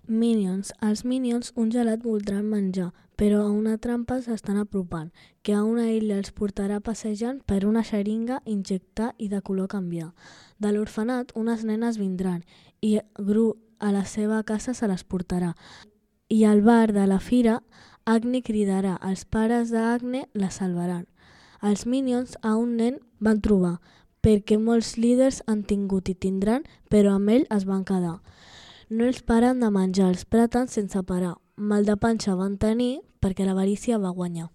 Minions. Els Minions un gelat voldran menjar, però a una trampa s'estan apropant, que a una illa els portarà passejant per una xeringa, injectar i de color canviar. De l'orfenat unes nenes vindran i Gru a la seva casa se les portarà. I al bar de la fira, Agne cridarà, els pares d'Agne la salvaran. Els Minions a un nen van trobar, perquè molts líders han tingut i tindran, però amb ell es van quedar. No els paren de menjar, els praten sense parar. Mal de panxa van tenir perquè l'avarícia va guanyar.